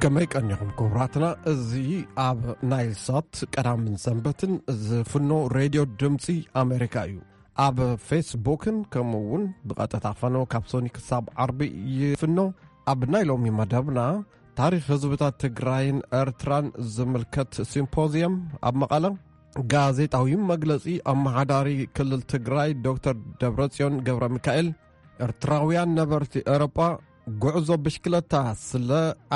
ከመይ ቀኒኹም ክቡራትና? እዚ ኣብ ናይል ሳት ቀዳምን ሰንበትን ዝፍኖ ሬድዮ ድምፂ ኣሜሪካ እዩ። ኣብ ፌስቡክን ከምኡ እውን ብቐጥታ ፈነው ካብ ሶኒ ክሳብ ዓርቢ ይፍኖ። ኣብ ናይ ሎሚ መደብና ታሪኽ ህዝብታት ትግራይን ኤርትራን ዝምልከት ሲምፖዚየም ኣብ መቐለ፣ ጋዜጣዊ መግለጺ ኣመሓዳሪ ክልል ትግራይ ዶክተር ደብረጽዮን ገብረ ሚካኤል፣ ኤርትራውያን ነበርቲ ኤውሮጳ ጉዕዞ ብሽክለታ ስለ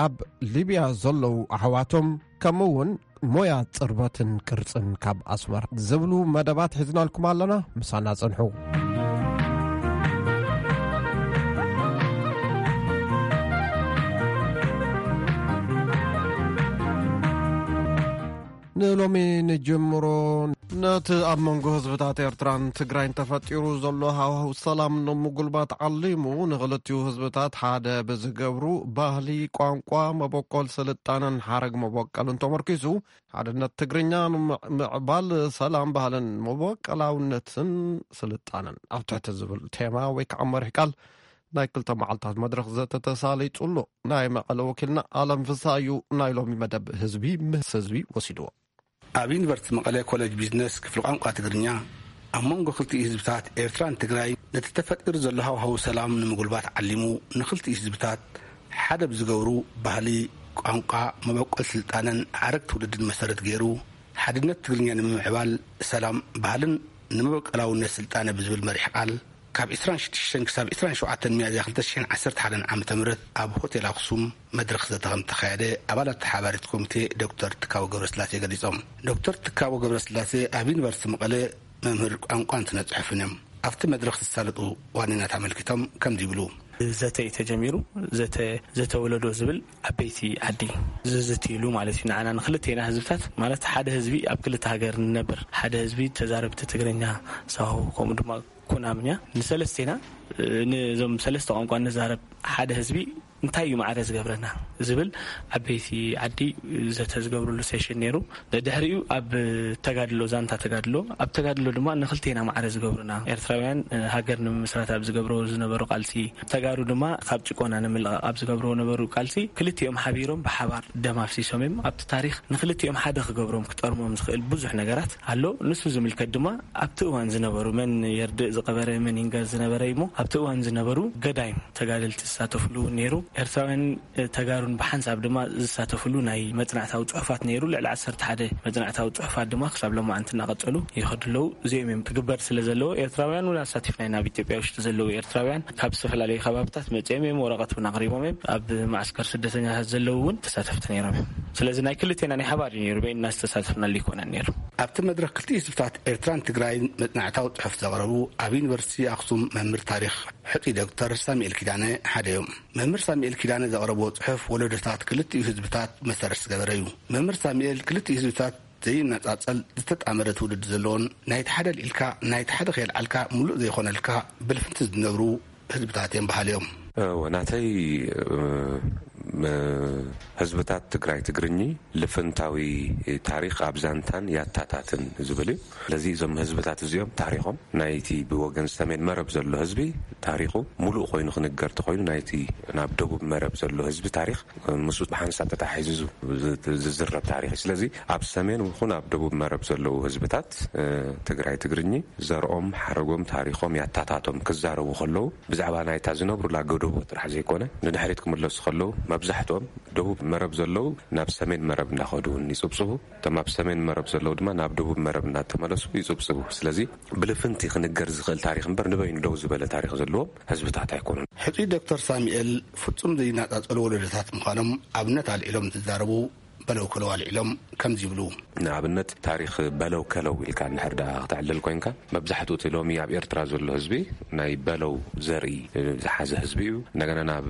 ኣብ ሊብያ ዘለዉ ኣሕዋቶም፣ ከምኡ እውን ሞያ ጽርበትን ቅርጽን ካብ ኣስመራ ዝብሉ መደባት ሒዝናልኩም ኣለና። ምሳና ጽንሑ። ንሎሚ ንጅምሮ። ነቲ ኣብ መንጎ ህዝብታት ኤርትራን ትግራይን ተፈጢሩ ዘሎ ሃዋህው ሰላም ንምጉልባት ዓሊሙ፣ ንኽልቲኡ ህዝብታት ሓደ ብዝገብሩ ባህሊ፣ ቋንቋ፣ መበቆል ስልጣነን ሓረግ መበቆልን ተመርኪሱ፣ ሓድነት ትግርኛ ንምዕባል ሰላም፣ ባህልን መበቆላውነትን ስልጣነን ኣብ ትሕቲ ዝብል ቴማ ወይ ከዓ መሪሕ ቃል ናይ ክልተ መዓልታት መድረኽ ዘተ ተሳሊጡ ኣሎ። ናይ መቐለ ወኪልና ኣለም ፍስሃ እዩ ናይ ሎሚ መደብ ህዝቢ ምስ ህዝቢ ወሲድዎ። ኣብ ዩኒቨርሲቲ መቐለ ኮሌጅ ቢዝነስ ክፍሊ ቋንቋ ትግርኛ፣ ኣብ መንጎ ክልቲኡ ህዝብታት ኤርትራን ትግራይ ነቲ ተፈጢሩ ዘሎ ሃዋህው ሰላም ንምጉልባት ዓሊሙ፣ ንክልቲኡ ህዝብታት ሓደ ብዝገብሩ ባህሊ፣ ቋንቋ፣ መበቆል ስልጣነን ሓረግ ትውልድን መሰረት ገይሩ፣ ሓድነት ትግርኛ ንምምዕባል ሰላም፣ ባህልን ንመበቆላውነት ስልጣነ ብዝብል መሪሕ ቃል፣ ካብ ዕስራን ሽዱሽተን ክሳብ ዕስራን ሸውዓተን ሚያዝያ ክልተ ሽሕን ዓሰርተ ሓደን ዓመተ ምህረት ኣብ ሆቴል ኣክሱም መድረኽ ዘተ ከም ተኻየደ ኣባላት ተሓባሪት ኮሚቴ ዶክተር ትካቦ ገብረስላሴ ገሊጾም። ዶክተር ትካቦ ገብረስላሴ ኣብ ዩኒቨርሲቲ መቐለ መምህር ቋንቋን ስነ ጽሑፍን እዮም። ኣብቲ መድረኽ ዝሳለጡ ዋኒናት ኣመልኪቶም ከምዚ ይብሉ። ዘተ እዩ ተጀሚሩ። ዘተ፣ ዘተ ወለዶ ዝብል ዓበይቲ ዓዲ ዝዝትይሉ ማለት እዩ። ንዓና ንክልቴና ህዝብታት ማለት ሓደ ህዝቢ ኣብ ክልተ ሃገር ንነብር፣ ሓደ ህዝቢ ተዛረብቲ ትግርኛ፣ ሳሆ፣ ከምኡ ድማ ኩናምኛ ንሰለስቴና፣ እ፣ ነዞም ሰለስተ ቋንቋ ንዛረብ ሓደ ህዝቢ እንታይ እዩ ማዕረ ዝገብረና ዝብል ዓበይቲ ዓዲ ዘተ ዝገብርሉ ሴሽን ነይሩ። ድሕሪኡ ኣብ ተጋድሎ፣ ዛንታ ተጋድሎ፣ ኣብ ተጋድሎ ድማ ንክልቴና ማዕረ ዝገብሩና ኤርትራውያን፣ እ፣ ሃገር ንምምስራት ኣብ ዝገብርዎ ዝነበሩ ቃልሲ፣ ተጋሩ ድማ ካብ ጭቆና ንምልቓቕ ኣብ ዝገብርዎ ነበሩ ቃልሲ ክልቲኦም ሓቢሮም ብሓባር ደም ኣፍሲሶም እዮም። ኣብቲ ታሪኽ ንክልቲኦም ሓደ ክገብሮም ክጠርሞም ዝኽእል ብዙሕ ነገራት ኣሎ። ንሱ ዝምልከት ድማ ኣብቲ እዋን ዝነበሩ መን የርድእ ዝቐበረ መን ይንገር ዝነበረ እዩ እሞ ኣብቲ እዋን ዝነበሩ ገዳይም ተጋደልቲ ዝሳተፍሉ እውን ነይሩ። ኤርትራውያን ተጋሩን ብሓንሳብ ድማ ዝሳተፍሉ ናይ መጽናዕታዊ ጽሑፋት ነይሩ። ልዕሊ ዓሰርተ ሓደ መጽናዕታዊ ጽሑፋት ድማ ክሳብ ሎማዓንቲ እናቐጸሉ ይኸዱ ኣለዉ። እዚኦም እዮም ክግበር ስለ ዘለዎ ኤርትራውያን እውን ኣሳቲፍና ኢና። ኣብ ኢትዮጵያ ውሽጢ ዘለዉ ኤርትራውያን ካብ ዝተፈላለዩ ከባብታት መጺኦም እዮም፣ ወረቐት እውን ኣቕሪቦም እዮም። ኣብ ማዕስከር ስደተኛታት ዘለዉ እውን ተሳተፍቲ ነይሮም እዮም። ስለዚ ናይ ክልቴና ናይ ሓባር እዩ ነይሩ፣ በይንና ዝተሳተፍናሉ ኣይኮነን ነይሩ። ኣብቲ መድረኽ ክልቲኡ ህዝብታት ኤርትራን ትግራይን መጽናዕታዊ ጽሑፍ ዘቕረቡ ኣብ ዩኒቨርሲቲ ኣኽሱም መምህር ታሪኽ ሕጡይ ዶክተር ሳሙኤል ኪዳነ ሓደ እዮም። መምህር ሳሙኤል ኪዳነ ዘቕረብዎ ጽሑፍ ወለዶታት ክልቲኡ ህዝብታት መሰረት ዝገበረ እዩ። መምህር ሳሙኤል ክልቲኡ ህዝብታት ዘይነጻጸል ዝተጣመረ ትውልዲ ዘለዎን ናይቲ ሓደ ኣልዒልካ ናይቲ ሓደ ከየልዓልካ ምሉእ ዘይኾነልካ ብልፍንቲ ዝነብሩ ህዝብታት እዮም በሃሊ እዮም። እወ፣ ናተይ፣ እ፣ ም-፣ ህዝብታት ትግራይ ትግርኚ ልፍንታዊ ታሪኽ ኣብ ዛንታን ያታታትን ዝብል እዩ። ስለዚ እዞም ህዝብታት እዚኦም ታሪኾም ናይቲ ብወገን ሰሜን መረብ ዘሎ ህዝቢ ታሪኹ ምሉእ ኮይኑ ክንገር ተኾይኑ ናይቲ ናብ ደቡብ መረብ ዘሎ ህዝቢ ታሪኽ ምስኡ ብሓንሳብ ተታሒዙ ዝ-፣ ዝ-፣ ዝዝረብ ታሪኽ እዩ። ስለዚ ኣብ ሰሜን ይኹን ኣብ ደቡብ መረብ ዘለዉ ህዝብታት፣ እ፣ ትግራይ ትግርኚ ዘርኦም፣ ሓረጎም፣ ታሪኾም ያታታቶም ክዛረቡ ከለዉ ብዛዕባ ናይታ ዝነብሩላ ጎደቦ ጥራሕ ዘይኮነ ንድሕሪት ክምለሱ ከለዉ መብዛሕትኦም ደቡብ መረብ ዘለዉ ናብ ሰሜን መረብ እናኸዱ እውን ይጽብጽቡ። እቶም ኣብ ሰሜን መረብ ዘለዉ ድማ ናብ ደቡብ መረብ እናተመለሱ ይጽብጽቡ። ስለዚ ብልፍንቲ ክንገር ዝኽእል ታሪኽ እምበር ንበይኑ ደው ዝበለ ታሪኽ ዘለዎም ህዝብታት ኣይኮኑን። ሕጹይ ዶክተር ሳሙኤል ፍጹም ዘይነጻጸሉ ወለዶታት ምዃኖም ኣብነት ኣልዒሎም እንትዛረቡ በለው ከለው ኣልዒሎም ከምዚ ይብሉ። ንኣብነት ታሪኽ በለው ከለው ኢልካ እንድሕር ደኣ ክተዕልል ኮይንካ መብዛሕትኡ እቲ ሎሚ ኣብ ኤርትራ ዘሎ ህዝቢ ናይ በለው ዘርኢ ዝሓዘ ህዝቢ እዩ። እንደገና ናብ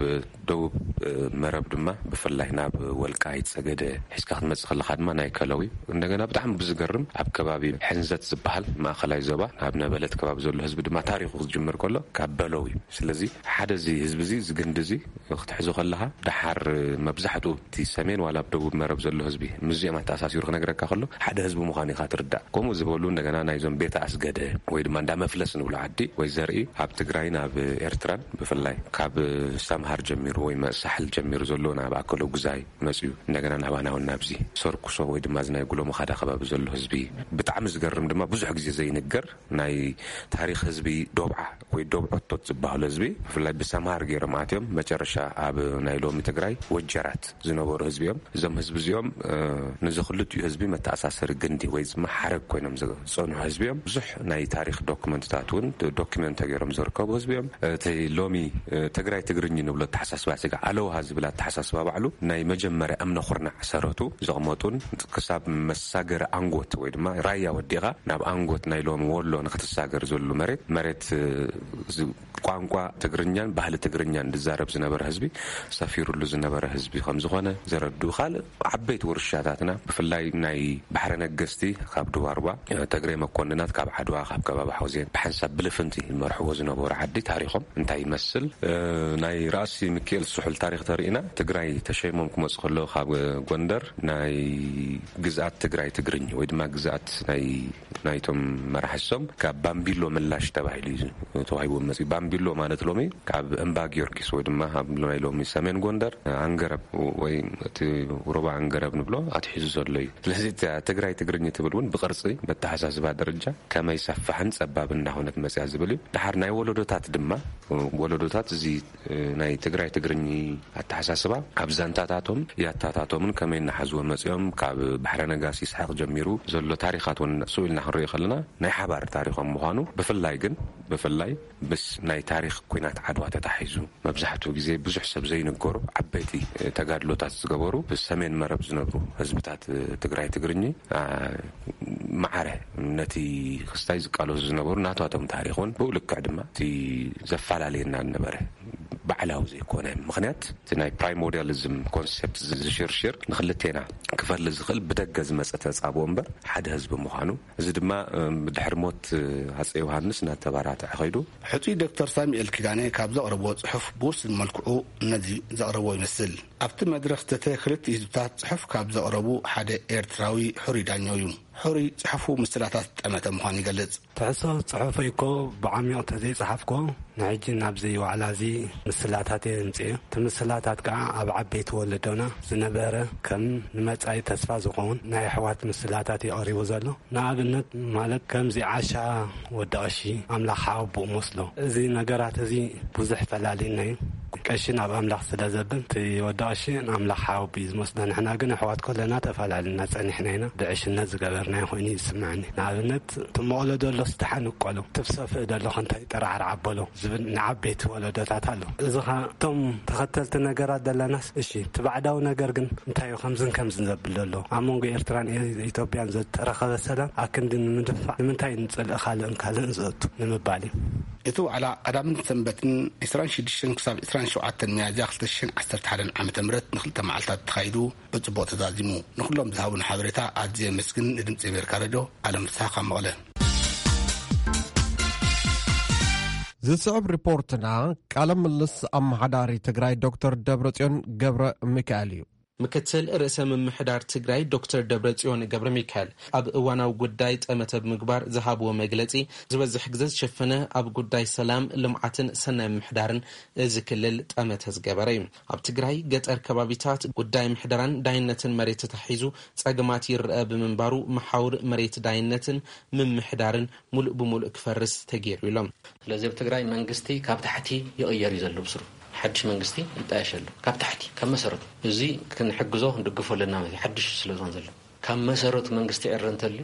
ደቡብ፣ እ፣ መረብ ድማ ብፍላይ ናብ ወልቃይት ጸገደ ሒዝካ ክትመጽእ ከለኻ ድማ ናይ ከለው እዩ። እንደገና ብጣዕሚ ብዝገርም ኣብ ከባቢ ሕንዘት ዝበሃል ማእኸላይ ዞባ ናብ ነበለት ከባቢ ዘሎ ህዝቢ ድማ ታሪኹ ክጅምር ከሎ ካብ በለው እዩ። ስለዚ ሓደ እዚ ህዝቢ እዚ፣ እዚ ግንዲ እዚ ክትሕዞ ከለኻ ደሓር መብዛሕትኡ እቲ ሰሜን ዋላ ኣብ ደቡብ መረብ ዘሎ ህዝቢ ምስዚኦም ኣተኣሳሲሩ ክነግረካ ከሎ ሓደ ህዝቢ ምዃኑ ኢኻ ትርዳእ። ከምኡ ዝበሉ እንደገና ናይዞም ቤተ ኣስገደ ወይ ድማ እንዳ መፍለስ ንብሎ ዓዲ ወይ ዘርኢ ኣብ ትግራይን ኣብ ኤርትራን ብፍላይ ካብ ሰምሃር ጀሚሩ ወይ መ- ሳሕል ጀሚሩ ዘሎ ናብ ኣከሎ ጉዛይ መፅዩ እንደገና ናባና እውን ናብዚ ሰርኩሶ ወይ ድማ እዚ ናይ ጉሎ መኻዳ ከባቢ ዘሎ ህዝቢ ብጣዕሚ ዝገርም ድማ ብዙሕ ግዜ ዘይንገር ናይ ታሪኽ ህዝቢ ዶብዓ ወይ ዶብዖቶት ዝበሃሉ ህዝቢ ብፍላይ ብሰምሃር ገይሮም ኣትዮም መጨረሻ ኣብ ናይ ሎሚ ትግራይ ወጀራት ዝነበሩ ህዝቢ እዮም። እዞም ህዝቢ እዚኦም ንዚ ክልቲኡ ህዝቢ መተኣሳሰሪ ግንዲ ወይ ድማ ሓረግ ኮይኖም ዝፀንሑ ህዝቢ እዮም። ብዙሕ ናይ ታሪኽ ዶክመንትታት እውን ዶክመንት ተገይሮም ዝርከቡ ህዝቢ እዮም። እቲ ሎሚ ትግራይ ትግርኝ ንብሎ ኣተሓሳስባ ስጋ ኣለውሃ ዝብል ኣተሓሳስባ ባዕሉ ናይ መጀመርያ እምነ ኩርናዕ ሰረቱ ዘቕመጡን ክሳብ መሳገሪ ኣንጎት ወይ ድማ ራያ ወዲኻ ናብ ኣንጎት ናይ ሎም ወሎ ንክትሳገር ዘሉ መሬት መሬት ቋንቋ ትግርኛን ባህሊ ትግርኛን ዝዛረብ ዝነበረ ህዝቢ ሰፊሩሉ ዝነበረ ህዝቢ ከም ዝኾነ ዘረድኡ ካልእ ዓበይቲ ውርሻታትና ብፍላይ ናይ ባሕረ ነገስቲ ካብ ድዋርባ ተግሬ መኮንናት ካብ ዓድዋ ካብ ከባቢ ሓውዜን ብሓንሳብ ብልፍንቲ ዝመርሕዎ ዝነበሩ ዓዲ ታሪኾም እንታይ ይመስል? ናይ ራእሲ ምክኤል ስሑል ታሪኽ ተርእና ትግራይ ተሸይሞም ክመፁ ከለዉ ካብ ጎንደር ናይ ግዝኣት ትግራይ ትግርኝ ወይ ድማ ግዝኣት ናይ ናይቶም መራሕሶም ካብ ባምቢሎ ምላሽ ተባሂሉ እዩ ተዋሂቦም መፅዩ። ባምቢሎ ማለት ሎሚ ካብ እምባ ጊዮርጊስ ወይ ድማ ኣብ ናይ ሎሚ ሰሜን ጎንደር ኣንገረብ ወይ እቲ ሩባ ኣንገረብ ንብሎ ኣትሒዙ ዘሎ እዩ። ስለዚ ትግራይ ትግርኝ ትብል እውን ብቅርፂ መተሓሳስባ ደረጃ ከመይ ሰፋሕን ፀባብ እንዳሆነት መፅያ ዝብል እዩ። ድሓር ናይ ወለዶታት ድማ ወለዶታት እዚ ናይ ትግራይ ትግርኝ ኣተሓሳስባ ኣብ ዛንታታቶም ያታታቶምን ከመይ እናሓዝዎ መፅኦም ካብ ባሕረ ነጋሲ ይስሓቅ ጀሚሩ ዘሎ ታሪኻት እውን ስኡ ኢልና ክንሪኦ ከለና ናይ ሓባር ታሪኾም ምዃኑ ብፍላይ ግን ብፍላይ ምስ ናይ ታሪኽ ኩናት ዓድዋ ተታሒዙ መብዛሕትኡ ግዜ ብዙሕ ሰብ ዘይንገሩ ዓበይቲ ተጋድሎታት ዝገበሩ ብሰሜን መረብ ዝነብሩ ህዝብታት ትግራይ ትግርኝ ማዕረ ነቲ ክስታይ ዝቃለሱ ዝነበሩ ናቷቶም ታሪኽ እውን ብኡ ልክዕ ድማ እቲ ዘፈላለየና ነበረ ባዕላዊ ዘይኮነ ምክንያት እቲ ናይ ፕራይሞርዲያሊዝም ኮንሰፕት ዝሽርሽር ንክልቴና ክፈሊ ዝኽእል ብደገ ዝመፀ ተፃብኦ እምበር ሓደ ህዝቢ ምዃኑ እዚ ድማ ብድሕሪ ሞት ኣፀ ዮሃንስ እናተባራትዐ ኸይዱ። ሕፁይ ዶክተር ሳሙኤል ኪዳነ ካብ ዘቕረብዎ ፅሑፍ ብውስን መልክዑ ነዚ ዘቕረብዎ ይመስል። ኣብቲ መድረኽ ዝተተ ክልቲ ህዝብታት ፅሑፍ ካብ ዘቕረቡ ሓደ ኤርትራዊ ሕሩይ ዳኛው እዩ። ሕሩይ ፅሑፉ ምስላታት ጠመተ ምዃኑ ይገልጽ። ትሕሶ ጽሑፈይ እኮ ብዓሚቕ ተዘይጸሓፍኮ ንሕጂ ናብዚ ዋዕላ እዚ ምስላታት እየ እምጽእ። እቲ ምስላታት ከኣ ኣብ ዓበይቲ ወለዶና ዝነበረ ከም ንመጻኢ ተስፋ ዝኸውን ናይ ኣሕዋት ምስላታት እዩ ቀሪቡ ዘሎ። ንኣብነት ማለት ከምዚ ዓሻ ወዲ ቀሺ ኣምላኽ ሓወቦኡ መስሎ። እዚ ነገራት እዚ ብዙሕ ፈላሊና እዩ። ቀሺ ናብ ኣምላኽ ስለ ዘብል እቲ ወዲ ቀሺ ንኣምላኽ ሓወቦ እዩ ዝመስሎ። ንሕና ግን ኣሕዋት ኮለና ተፈላልና ጸኒሕና ኢና። ብዕሽነት ዝገበርናዮ ኮይኑ ይስምዐኒ። ንኣብነት እቲ መቐሎ ደሎስ ደሓን እቆሎ፣ እቲ ብሰፍእ ደሎ ከንታይ ጠራዕራዕ ኣበሎ ዝብል ንዓበይቲ ወለዶታት ኣሎ። እዚ ኸኣ እቶም ተኸተልቲ ነገራት ደለናስ እሺ፣ እቲ ባዕዳዊ ነገር ግን እንታይ እዩ ከምዝን ከምዝን ዘብል ዘሎ? ኣብ መንጎ ኤርትራን ኤ-፣ ኢትዮጵያን ዘተረኸበ ሰላም ኣክንዲ ንምድፋዕ ንምንታይ ንጽልኢ ካልእን ካልእን ዘእቱ ንምባል እዩ። እቲ ዋዕላ ቀዳምን ሰንበትን ዕስራን ሽዱሽተን ክሳብ ዕስራን ሸውዓተን ሚያዝያ ክልተ ሽሕን ዓሰርተ ሓደን ዓመተ ምህረት ንክልተ መዓልታት ተኻይዱ ብጽቡቕ ተዛዚሙ። ንኹሎም ዝሃቡን ሓበሬታ ኣዝየ የመስግን። ንድምጺ ኣሜሪካ ሬድዮ ኣለም ፍስሓ ካብ መቐለ። ዝስዕብ ሪፖርትና ቃለ ምልስ ኣመሓዳሪ ትግራይ ዶክተር ደብረጽዮን ገብረ ሚካኤል እዩ። ምክትል ርእሰ ምምሕዳር ትግራይ ዶክተር ደብረጽዮን ገብረ ሚካኤል ኣብ እዋናዊ ጉዳይ ጠመተ ብምግባር ዝሃብዎ መግለጺ፣ ዝበዝሕ ግዘ ዝሸፈነ ኣብ ጉዳይ ሰላም፣ ልምዓትን ሰናይ ምምሕዳርን እዚ ክልል ጠመተ ዝገበረ እዩ። ኣብ ትግራይ ገጠር ከባቢታት ጉዳይ ምሕደራን ዳይነትን መሬት ተታሒዙ ጸገማት ይረአ ብምንባሩ፣ መሓውር መሬት ዳይነትን ምምሕዳርን ሙሉእ ብሙሉእ ክፈርስ ተገይሩ ኢሎም። ስለዚ ኣብ ትግራይ መንግስቲ ካብ ታሕቲ ይቕየር እዩ ዘሎ ብስሩ። ሓድሽ መንግስቲ ይጣየሽ ኣሎ። ካብ ታሕቲ፣ ካብ መሰረቱ። እዚ ክንሕግዞ ክንድግፎ ኣለና ማለት እዩ። ሓድሽ ስለ ዝኾነ ዘሎ። ካብ መሰረቱ መንግስቲ ዕረ እንተልዩ፣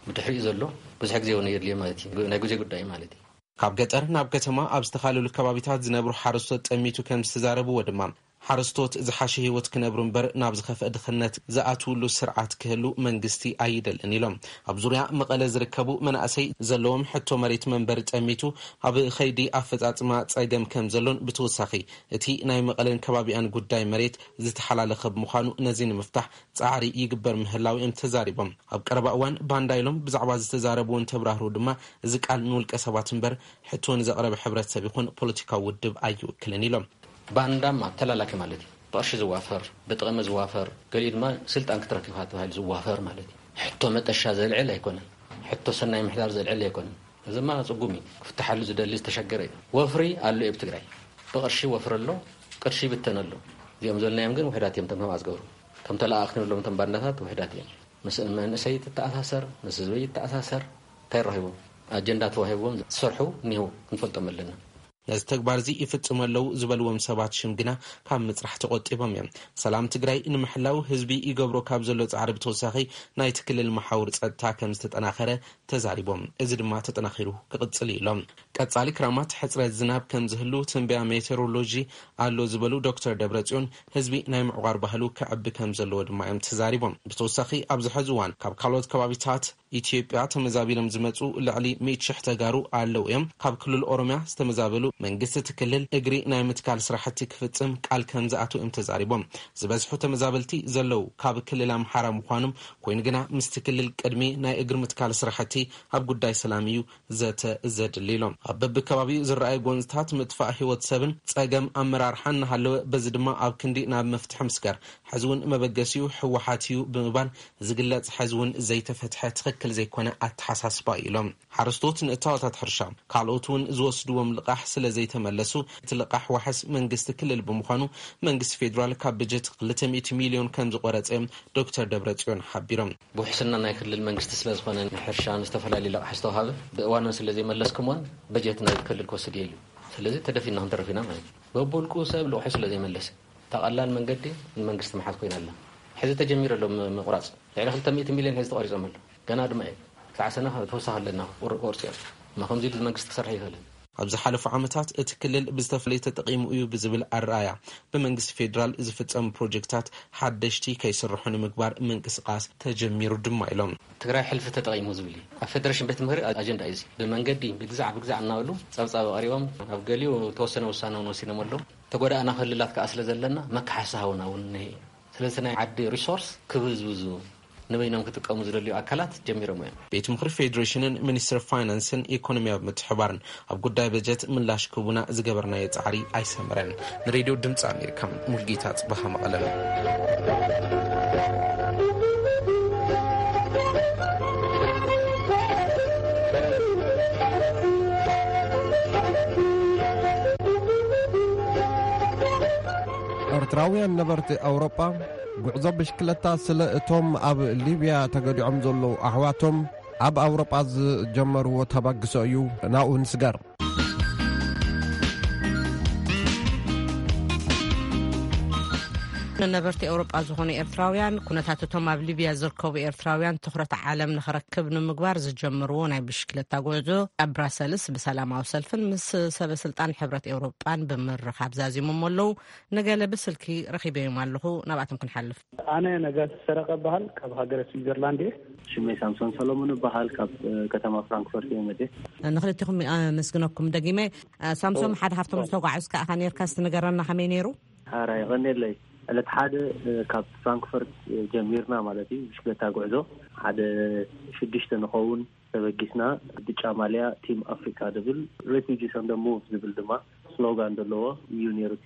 ብድሕሪኡ ዘሎ ብዙሕ ግዜ እውን የድልዮ ማለት እዩ። ናይ ግዜ ጉዳይ እዩ ማለት እዩ። ካብ ገጠር ናብ ከተማ ኣብ ዝተፈላለዩ ከባቢታት ዝነብሩ ሓረስቶት ጠሚቱ ከም ዝተዛረብዎ ድማ፣ ሓረስቶት ዝሓሸ ህይወት ክነብሩ እምበር ናብ ዝኸፍአ ድኽነት ዝኣትውሉ ስርዓት ክህሉ መንግስቲ ኣይደልን ኢሎም። ኣብ ዙርያ መቐለ ዝርከቡ መናእሰይ ዘለዎም ሕቶ መሬት መንበሪ ጠሚቱ ኣብ ኸይዲ ኣፈጻጽማ ጸገም ከም ዘሎን ብተወሳኺ እቲ ናይ መቐለን ከባቢኣን ጉዳይ መሬት ዝተሓላለኸ ብምዃኑ ነዚ ንምፍታሕ ጻዕሪ ይግበር ምህላው እዮም ተዛሪቦም። ኣብ ቀረባ እዋን ባንዳ ኢሎም ብዛዕባ ዝተዛረቡ እንተብራህሩ ድማ እዚ ቃል ንውልቀ ሰባት እምበር ሕቶ ንዘቕረበ ሕብረተሰብ ይኹን ፖለቲካዊ ውድብ ኣይውክልን ኢሎም። ባንዳማ ተላላኪ ማለት እዩ። ብቕርሺ ዝዋፈር፣ ብጥቕሚ ዝዋፈር፣ ገሊኡ ድማ ስልጣን ክትረክብ ኢኻ ተባሂሉ ዝዋፈር ማለት እዩ። ሕቶ መጠሻ ዘልዕል ኣይኮነን። ሕቶ ሰናይ ምሕዳር ዘልዕል ኣይኮነን። እዚ ድማ ጽጉም እዩ። ክፍትሓሉ ዝደሊ ዝተሸገረ እዩ። ወፍሪ ኣሎ እዩ ኣብ ትግራይ። ብቕርሺ ወፍሪ ኣሎ፣ ቅርሺ ይብተን ኣሎ። እዚኦም ዘልናዮም ግን ውሕዳት እዮም፣ እቶም ከምኣ ዝገብሩ። እቶም ተለኣኣኽቲ ንብሎም እቶም ባንዳታት ውሕዳት እዮም። ምስ መንእሰይ ትተኣሳሰር፣ ምስ ህዝቢ ይተኣሳሰር። እንታይ ረኺቦም? ኣጀንዳ ተዋሂብዎም ዝሰርሑ እኒህው፣ ክንፈልጦም ኣለና። ነዚ ተግባር እዚ ይፍጽሙ ኣለዉ ዝበልዎም ሰባት ሽም ግና ካብ ምጽራሕ ተቖጢቦም እዮም። ሰላም ትግራይ ንምሕላው ህዝቢ ይገብሮ ካብ ዘሎ ጻዕሪ ብተወሳኺ ናይቲ ክልል መሓውር ጸጥታ ከም ዝተጠናኸረ ተዛሪቦም። እዚ ድማ ተጠናኺሩ ክቕጽል እዩ ኢሎም። ቀጻሊ ክራማት ሕጽረት ዝናብ ከም ዝህሉ ትንበያ ሜቴሮሎጂ ኣሎ ዝበሉ ዶክተር ደብረጽዮን፣ ህዝቢ ናይ ምዕቋር ባህሉ ክዕቢ ከም ዘለዎ ድማ እዮም ተዛሪቦም። ብተወሳኺ ኣብዚ ሕዚ እዋን ካብ ካልኦት ከባቢታት ኢትዮጵያ ተመዛቢሎም ዝመጹ ልዕሊ ሚእቲ ሽሕ ተጋሩ ኣለዉ እዮም። ካብ ክልል ኦሮሚያ ዝተመዛበሉ መንግስቲ እቲ ክልል እግሪ ናይ ምትካል ስራሕቲ ክፍጽም ቃል ከም ዝኣትዉ እዮም ተዛሪቦም። ዝበዝሑ ተመዛበልቲ ዘለዉ ካብ ክልል ኣምሓራ ምዃኖም ኮይኑ ግና ምስቲ ክልል ቅድሚ ናይ እግሪ ምትካል ስራሕቲ ኣብ ጉዳይ ሰላም እዩ ዘተ ዘድሊ ኢሎም። ኣብ በብከባቢኡ ዝረኣዩ ጎንፅታት ምጥፋእ ህይወት ሰብን ፀገም ኣመራርሓን እናሃለወ በዚ ድማ ኣብ ክንዲ ናብ መፍትሒ ምስጋር ሕዚ እውን መበገሲኡ ህወሓት እዩ ብምባል ዝግለጽ ሕዚ እውን ዘይተፈትሐ ትኽክል ዘይኮነ ኣተሓሳስባ እዩ ኢሎም። ሓረስቶት ንእታወታት ሕርሻ ካልኦት እውን ዝወስድዎም ልቓሕ ስለ ዘይተመለሱ እቲ ልቓሕ ዋሕስ መንግስቲ ክልል ብምዃኑ መንግስቲ ፌዴራል ካብ በጀት ክልተ ሚእቲ ሚልዮን ከም ዝቆረጸ እዮም ዶክተር ደብረጽዮን ሓቢሮም። ብውሕስና ናይ ክልል መንግስቲ ስለ ዝኾነ ንሕርሻ ንዝተፈላለዩ ልቓሕ ዝተዋሃበ ብእዋኑ ስለ ዘይመለስኩምዎን በጀት ናይ ክልል ክወስድ እየ ኢሉ። ስለዚ ተደፊና ክንተርፍ ኢና ማለት እዩ። በብውልቁ ሰብ ልቑሑ ስለ ዘይመለሰ እታ ቀላል መንገዲ ንመንግስቲ ምሓዝ ኮይና ኣላ። ሕዚ ተጀሚሩ ኣሎ ም-፣ ምቑራጽ። ልዕሊ ክልተ ሚእቲ ሚልዮን ሕዚ ተቖሪጾም ኣሎ። ገና ድማ እዩ። ክሳዕ ሰነ ተወሳኺ ኣለና ቁር-፣ ቁርጺ እዮም። እሞ ከምዚ ኢሉ መንግስቲ ክሰርሕ ይኽእልን። ኣብ ዝሓለፉ ዓመታት እቲ ክልል ብዝተፈላለየ ተጠቒሙ እዩ ብዝብል ኣረኣያ ብመንግስቲ ፌዴራል ዝፍጸሙ ፕሮጀክታት ሓደሽቲ ከይስርሑ ንምግባር ምንቅስቓስ ተጀሚሩ ድማ ኢሎም። ትግራይ ሕልፊ ተጠቒሙ ዝብል እዩ። ኣብ ፌደሬሽን ቤት ምኽሪ ኣጀንዳ እዩ እዚ። ብመንገዲ ብግዛዕ ብግዛዕ እናበሉ ጸብጻብ ኣቕሪቦም ኣብ ገሊኡ ተወሰነ ውሳነ እውን ወሲኖም ኣለዉ። ተጎዳእና ክልላት ከኣ ስለ ዘለና መካሓሲ ሃቡና እውን እኒሀ እዩ። ስለዚ ናይ ዓዲ ሪሶርስ ክብዝብዙ ንበይኖም ክጥቀሙ ዝደልዩ ኣካላት ጀሚሮም እዮም። ቤት ምኽሪ ፌዴሬሽንን ሚኒስትሪ ፋይናንስን ኢኮኖሚያዊ ምትሕባርን ኣብ ጉዳይ በጀት ምላሽ ክቡና ዝገበርናዮ ጻዕሪ ኣይሰመረን። ንሬድዮ ድምፂ ኣሜሪካ ሙልጌታ ጽባሃ መቐለም። ኤርትራውያን ነበርቲ ኣውሮጳ ጉዕዞ ብሽክለታ ስለ እቶም ኣብ ሊብያ ተገዲዖም ዘለዉ ኣሕዋቶም ኣብ ኣውሮጳ ዝጀመርዎ ተበግሶ እዩ። ናብኡ ንስገር። ንነበርቲ ኤውሮጳ ዝኾኑ ኤርትራውያን፣ ኩነታት እቶም ኣብ ሊብያ ዝርከቡ ኤርትራውያን ትኹረት ዓለም ንኽረክብ ንምግባር ዝጀመርዎ ናይ ብሽክለታ ጉዕዞ ኣብ ብራሰልስ ብሰላማዊ ሰልፍን ምስ ሰበ ስልጣን ሕብረት ኤውሮጳን ብምርኻብ ዛዚሞም ኣለዉ። ንገለ ብስልኪ ረኺበዮም ኣለኹ፣ ናብኣቶም ክንሓልፍ። ኣነ ነጋሲ ሰረቐ እበሃል፣ ካብ ሃገረ ስዊዘርላንድ እየ። ሽመይ ሳምሶን ሰሎሞን እበሃል፣ ካብ፣ እ፣ ከተማ ፍራንክፈርት እየ መፅየ። ንኽልቲኹም ኣመስግነኩም ደጊመ። እ፣ ሳምሶም፣ ኦ፣ ሓደ ካብቶም ኦ። ዝተጓዕዝካ ኢኻ ነርካ፣ እስቲ ንገረና ከመይ ነይሩ? ሓራ የቐንየለይ። ዕለት ሓደ፣ እ፣ ካብ ፍራንክፈርት፣ እ፣ ጀሚርና ማለት እዩ፣ ብሽክለታ ጉዕዞ። ሓደ ሽዱሽተ ንኸውን ተበጊስና፣ ብጫ ማልያ ቲም ኣፍሪካ ዝብል ሬፊጂስ ኦን ደ ሙቭ ዝብል ድማ ስሎጋን ዘለዎ እዩ ነይሩ፣ እቲ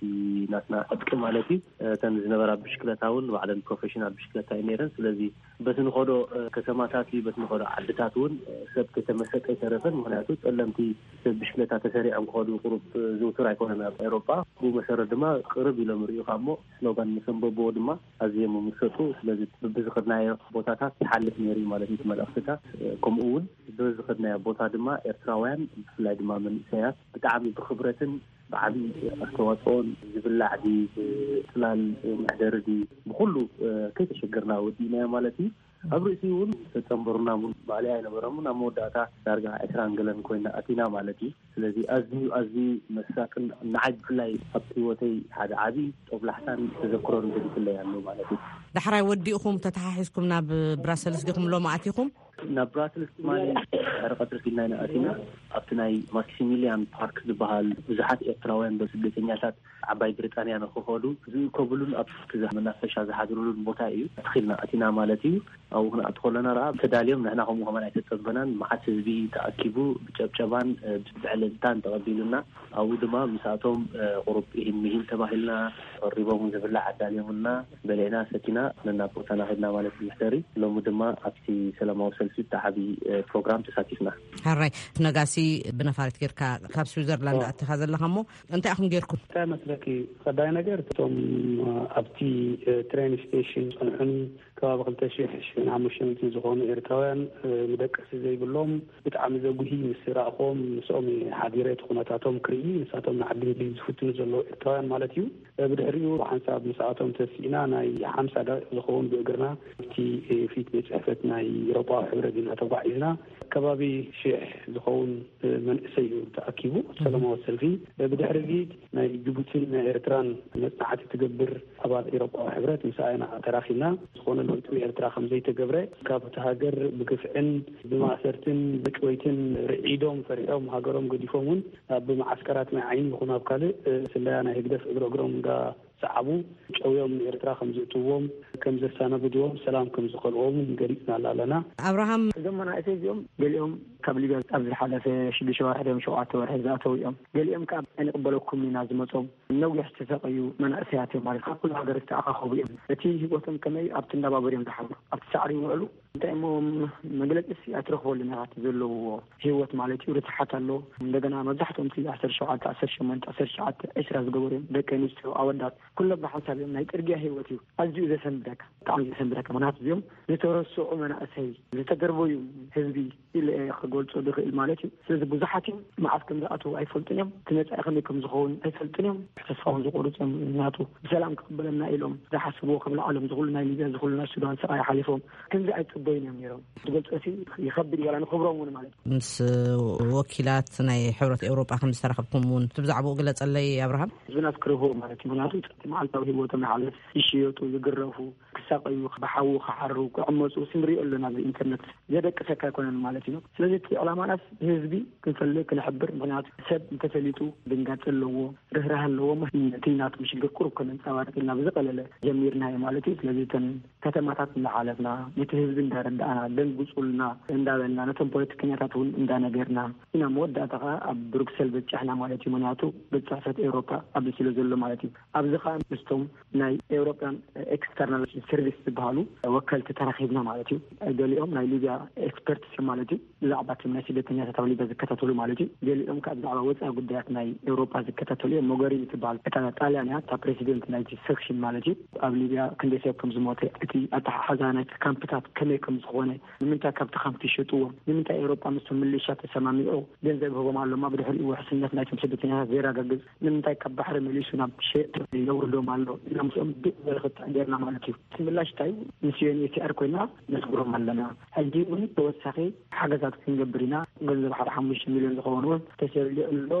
ናትና ዕጥቂ ማለት እዩ። እተን ዝነበራ ብሽክለታ እውን ባዕለን ፕሮፌሽናል ብሽክለታ እዩ ነይረን። ስለዚ በቲ ንኸዶ፣ እ፣ ከተማታት እዩ፣ በቲ ንኸዶ ዓድታት እውን፣ እ፣ ሰብ ከተመሰጠ ኣይተረፈን። ምኽንያቱ ጸለምቲ ሰብ ብሽክለታ ተሰሪዖም ክኸዱ ቁሩብ፣ እ፣ ዝውቱር ኣይኮነን ኣብ ኤውሮጳ። ብኡ መሰረት ድማ ቅርብ ኢሎም ይርእዩኻ እሞ ስሎጋን ምስ ኣንበብዎ ድማ ኣዝዮም ይምሰጡ። ስለዚ በብዝኸድናዮ ቦታታት ይሓልፍ ነይሩ እዩ ማለት እዩ እቲ መልእኽትታት። እ፣ ከምኡ እውን በብዝኸድናዮ ቦታ ድማ ኤርትራውያን ብፍላይ ድማ መንእሰያት ብጣዕሚ ብኽብረትን ብዓቢ ኣስተዋፅኦን ዝብላዕ ድዩ፣ ብፅላል መሕደሪ ድዩ፣ ብኹሉ፣ እ፣ ከይተሸገርና ወዲእናዮ ማለት እዩ። ኣብ ርእሲኡ እውን ዝተፀንበሩና እውን ማእለያ ኣይነበሮምን። ኣብ መወዳእታ ዳርጋ ዕስራን ገለን ኮይና ኣቲና ማለት እዩ። ስለዚ ኣዝዩ፣ ኣዝዩ መሳጥን ንዓይ ብፍላይ ኣብቲ ህይወተይ ሓደ ዓቢ ጦብላሕታን ተዘክሮን ገዲፍለይ ኣሎ ማለት እዩ። ዳሕራይ ወዲእኹም ተተሓሒዝኩም ናብ ብራሰልስ ዲኹም ሎም ኣቲኹም? ናብ ብራስልስ ትማሊ ድሕሪ ቀትሪ ኪድና ኢና ኣቲና። ኣብቲ ናይ ማክሲሚሊያን ፓርክ ዝበሃል ብዙሓት ኤርትራውያን ስደተኛታት ዓባይ ብሪጣንያ ንክኸዱ ዝእከብሉን ኣብ ክዛ መናፈሻ ዝሓድሩሉን ቦታ እዩ ተኺልና ኣቲና ማለት እዩ። ኣብኡ ክንኣቱ ከለና ረኣ ተዳልዮም፣ ንሕና ከምኡ ከማን ኣይተጸበናን። መዓት ህዝቢ ተኣኪቡ ብጨብጨባን ብዕልልታን ተቐቢሉና። ኣብኡ ድማ ምስኣቶም ቁሩብ ኢሂን ምሂን ተባሂልና፣ ቀሪቦም ዝብላዕ ኣዳልዮምና፣ በሊዕና ሰቲና ነናብ ቦታና ከድና ማለት እዩ። ድሕሪ ሎሚ ድማ ኣብቲ ሰላማዊ ሰልፊ ብጣዕሚ ፕሮግራም ተሳቲፍና። ሕራይ ነጋሲ፣ ብነፋሪት ጌርካ ካብ ስዊዘርላንድ ኣቲኻ ዘለኻ እሞ እንታይ ኢኹም ጌርኩም? እንታይ መስለኪ፣ ቀዳይ ነገር እቶም ኣብቲ ትሬን ስቴሽን ጸንሑኒ ከባቢ ክልተ ሺሕ ሽሕን ሓሙሽተ ሚእትን ዝኾኑ ኤርትራውያን፣ ምደቀሲ ዘይብሎም፣ ብጣዕሚ ዘጉሂ፣ ምስ ረእኾም ምስኦም ሓዲረ እቲ ኩነታቶም ክርኢ፣ ንሳቶም ንዓዲ እንግሊዝ ዝፍትኑ ዘለዉ ኤርትራውያን ማለት እዩ። ብድሕሪኡ ብሓንሳብ ምስኣቶም ተሲእና ናይ ሓምሳ ደቂቕ ዝኸውን ብእግርና ኣብቲ ፊት ቤት ጽሕፈት ናይ ኤውሮጳዊ ሕብረት ኢና ተጓዒዝና። ከባቢ ሽሕ ዝኸውን መንእሰይ እዩ ተኣኪቡ ሰላማዊ ሰልፊ። ብድሕሪ እዚ ናይ ጅቡቲን ናይ ኤርትራን መጽናዕቲ ትገብር ኣባል ኤውሮጳዊ ሕብረት ምስኣ ኢና ተራኺብና። ዝኾነ ለውጢ ኤርትራ ከም ዘይተገብረ፣ ካብቲ ሃገር ብግፍዕን ብማእሰርትን ብጭወይትን ርዒዶም ፈሪሖም ሃገሮም ገዲፎም እውን ኣብ መዓስከራት ማይ ዓይኒ ይኹን ኣብ ካልእ ስለያ ናይ ህግደፍ እግሪ እግሮም እንዳ ሰዓቡ ጨውዮም ንኤርትራ ከም ዝእትዎም፣ ከም ዘሰናብድዎም፣ ሰላም ከም ዝኸልዎም ገሊጽና ኣለና። ኣብርሃም፣ እዞም መናእሰይ እዚኦም ገሊኦም ካብ ሊብያ ኣብ ዝሓለፈ ሽዱሽተ ወርሒ ድዮም ሸውዓተ ወርሒ ዝኣተው እዮም። ገሊኦም ከኣ ኣይንቕበለኩም ኢና ዝመጾም። ነዊሕ ዝተሰቀዩ መናእሰያት እዮም ማለት፣ ካብ ኩሉ ሃገር ዝተኣኻኸቡ እዮም። እቲ ህይወቶም ከመይ ኣብቲ እንዳባበር እዮም ዝሓብሩ፣ ኣብቲ ሳዕሪ ይውዕሉ። እንታይ እሞ መግለጺ ሲ ኣይትረኽበሉን ኢኻ፣ እቲ ዘለውዎ ህይወት ማለት እዩ። ርትሓት ኣሎ። እንደገና መብዛሕትኦም እቲ ዓሰርተ ሸውዓተ፣ ዓሰርተ ሸሞንተ፣ ዓሰርተ ትሽዓተ፣ ዕስራ ዝገበሩ እዮም፣ ደቂ ኣንስትዮ፣ ኣወዳት፣ ኩሎም ብሓንሳብ እዮም። ናይ ጽርግያ ህይወት እዩ። ኣዝዩ ዘሰንብደካ፣ ብጣዕሚ ዘሰንብደካ። ምኽንያቱ እዚኦም ዝተረስዑ መናእሰይ፣ ዝተገርበዩ ህዝቢ ኢለ እየ ክገልጾ ዝኽእል ማለት እዩ። ስለዚ ብዙሓት እዮም፣ መዓስ ከም ዝኣትዉ ኣይፈልጡን እዮም። እቲ መጻኢ ከመይ ከም ዝኸውን ኣይፈልጡን እዮም። ተስፋ እውን ዝቆርጹ እዮም። ምኽንያቱ ብሰላም ክቕበለና ኢሎም ዝሓስብዎ፣ ከም ላዕሎም ዝኹሉ ናይ ሊብያ፣ ዝኹሉ ናይ ሱዳን ስቓይ ሓሊፎም ከምዚ ኣይጽበዩን እዮም ነይሮም። ዝገልጾ ሲ ይኸብድ እዩ፣ ዋላ ንኽብሮም እውን ማለት እዩ። ምስ ወኪላት ናይ ሕብረት ኤውሮጳ ከም ዝተራኸብኩም እውን እቲ ብዛዕባኡ ግለጸለይ ኣብርሃም። ህዝብና ዝክርህዎ ማለት እዩ። ምኽንያቱ እቲ መዓልታዊ ህይወቶም ይሓልፍ፣ ይሽየጡ፣ ይግረፉ፣ ክሳቀዩ፣ ብሓዊ ክሓሩ፣ ክዕመፁ ንሪኦ ኣለና። ኣብዚ ኢንተርነት ዘደቅሰካ ኣይኮነን ማለት እዩ። ስለዚ እቲ ዕላማናስ ህዝቢ ክንፈልግ፣ ክንሕብር፣ ምኽንያቱ ሰብ እንተፈሊጡ ድንጋፂ ኣለዎ፣ ርህራህ ኣለዎ። እቲ ናቶም ሽግር ቁሩብ ከነንፀባርቅ ኢልና ብዝቀለለ ጀሚርናዮ ማለት እዩ። ስለዚ እተን ከተማታት እንዳሓለፍና፣ ነቲ ህዝቢ እንዳረዳእና፣ ደንግፁልና እንዳበልና፣ ነቶም ፖለቲከኛታት እውን እንዳነገርና ኢና መወዳእታ ከዓ ኣብ ብሩክሰል በፂሕና ማለት እዩ። ምኽንያቱ ቤት ፅሕፈት ኤውሮፓ ኣብዚ ስለ ዘሎ ማለት እዩ። ኣብዚ ከዓ ምስቶም ናይ ኤውሮፓን ኤክስተርናል ሰርቪስ ዝበሃሉ ወከልቲ ተራኺብና ማለት እዩ። ገሊኦም ናይ ሊብያ ኤክስፐርትስ እዮም ማለት እዩ። ብዛዕባ እቶም ናይ ስደተኛታት ኣብ ሊብያ ዝከታተሉ ማለት እዩ። ገሊኦም ከዓ ብዛዕባ ወፃኢ ጉዳያት ናይ ኤውሮፓ ዝከታተሉ እዮም። ሞገሪኒ ትበሃል እታ ጣልያን እያ፣ እታ ፕሬዚደንት ናይቲ ሰክሽን ማለት እዩ። ኣብ ሊብያ ክንደይ ሰብ ከም ዝሞተ፣ እቲ ኣተሓሓዛ ናይቲ ካምፕታት ከመይ ከም ዝኾነ፣ ንምንታይ ካብቲ ካምፕ ይሸጥዎም፣ ንምንታይ ኤውሮጳ ምስቶም ምልሻ ተሰማሚዑ ገንዘብ ይህቦም ኣሎማ፣ ብድሕሪኡ ውሕስነት ናይቶም ስደተኛታት ዘየረጋግጽ፣ ንምንታይ ካብ ባሕሪ መሊሱ ናብ ሸየጥቲ የውርዶም ኣሎ? ኢና ምስኦም ድቕ ዝበለ ክትዕ ጌርና ማለት እዩ። እቲ ምላሽ እንታይ እዩ? ምስ ዩ ኤን ኤች ሲ ኣር ኮይና ነስግሮም ኣለና። ሕጂ እውን ተወሳኺ ሓገዛት ክንገብር ኢና። ገንዘብ ሓደ ሓሙሽተ ሚልዮን ዝኸውን እውን ተሰሊዑ ኣሎ።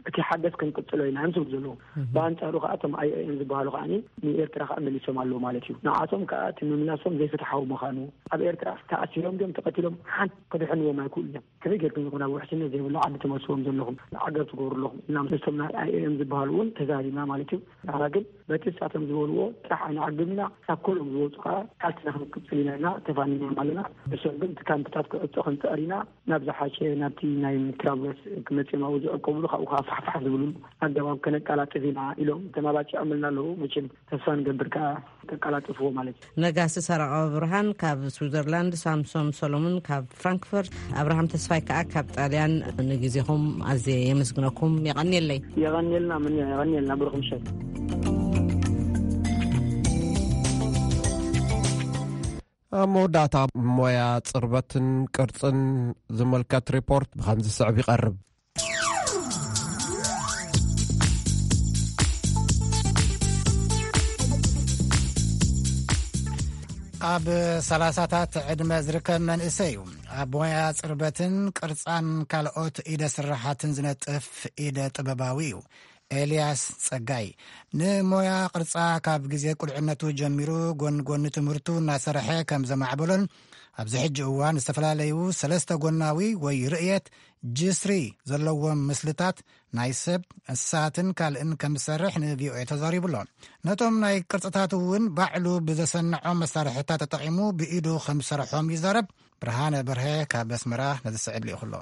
እቲ ሓገዝ ክንቅጽሎ ኢና እዮም ዝብሉ ዘለዉ። እህ። ብኣንጻሩ ከኣ እቶም ኣይ ኦ ኤም ዝበሃሉ ከኣ ንኤርትራ ከኣ መሊሶም ኣለዉ ማለት እዩ። ንዓቶም ከኣ እቲ ምምላሶም ዘይፍትሓዊ ምዃኑ፣ ኣብ ኤርትራ ተኣሲሮም ድዮም ተቐቲሎም ሓንቲ ክድሕንዎም ኣይክእሉን እዮም። ከመይ ጌርኩም ኢኹም ናብ ውሕስነት ዘይብሉ ዓዲ ትመልስዎም ዘለኹም፣ ዓገብ ትገብሩ ኣለኹም ኢልና ምስቶም ናይ ኣይ ኦ ኤም ዝበሃሉ እውን ተዛሪብና ማለት እዩ። ንሕና ግን በቲ ንሳቶም ዝበልዎ ጥራሕ ኣይንዓግብና፣ ካብ ኩሎም ዝወፁ ከኣ ቃልስና ክንቅጽል ኢና ኢልና ተፋኒኖም ኣለና። ንሶም ግን እቲ ካምፕታት ክዕጾ ክንጽዕር ኢና፣ ናብ ዝሓሸ ናብቲ ናይ ትራብሎስ ክመጽኦም ኣብኡ ዝዕቆብሉ፣ ካብኡ ከኣ ፋሕፋሕ ዝብሉሉ ኣገባብ ከነቀላጥፍ ኢና ኢሎም ተማባጺዖምልና ኣለዉ። መቸም ተስፋ ንገብር ከኣ ከቀላጥፍዎ ማለት እዩ። ነጋሲ ሰረቐ ብርሃን ካብ ስዊዘርላንድ፣ ሳምሶም ሰሎሞን ካብ ፍራንክፈርት፣ ኣብርሃም ተስፋይ ከኣ ካብ ጣልያን፣ ንግዜኹም ኣዝየ የመስግነኩም። የቐንየለይ። የቐንየልና፣ ምን የቐንየልና፣ ብሩኽ ምሸት። ኣብ መወዳእታ ሞያ ጽርበትን ቅርጽን ዝምልከት ሪፖርት ብኸምዚ ዝስዕብ ይቐርብ። ኣብ ሰላሳታት ዕድመ ዝርከብ መንእሰይ እዩ። ኣብ ሞያ ጽርበትን ቅርጻን ካልኦት ኢደ ስራሓትን ዝነጥፍ ኢደ ጥበባዊ እዩ። ኤልያስ ጸጋይ ንሞያ ቅርጻ ካብ ግዜ ቁልዕነቱ ጀሚሩ ጎን ጎኒ ትምህርቱ እናሰርሐ ከም ዘማዕበሎን ኣብዚ ሕጂ እዋን ዝተፈላለዩ ሰለስተ ጎናዊ ወይ ርእየት ጅስሪ ዘለዎም ምስልታት ናይ ሰብ፣ እንስሳትን ካልእን ከም ዝሰርሕ ን ቪ ኦ ኤ ተዛሪቡ ኣሎ። ነቶም ናይ ቅርጽታት እውን ባዕሉ ብዘሰንዖም መሳርሕታት ተጠቒሙ ብኢዱ ከም ዝሰርሖም ይዛረብ። ብርሃነ በርሀ ካብ ኣስመራ ነዚ ስዕብ ልኢኹ ኣሎ።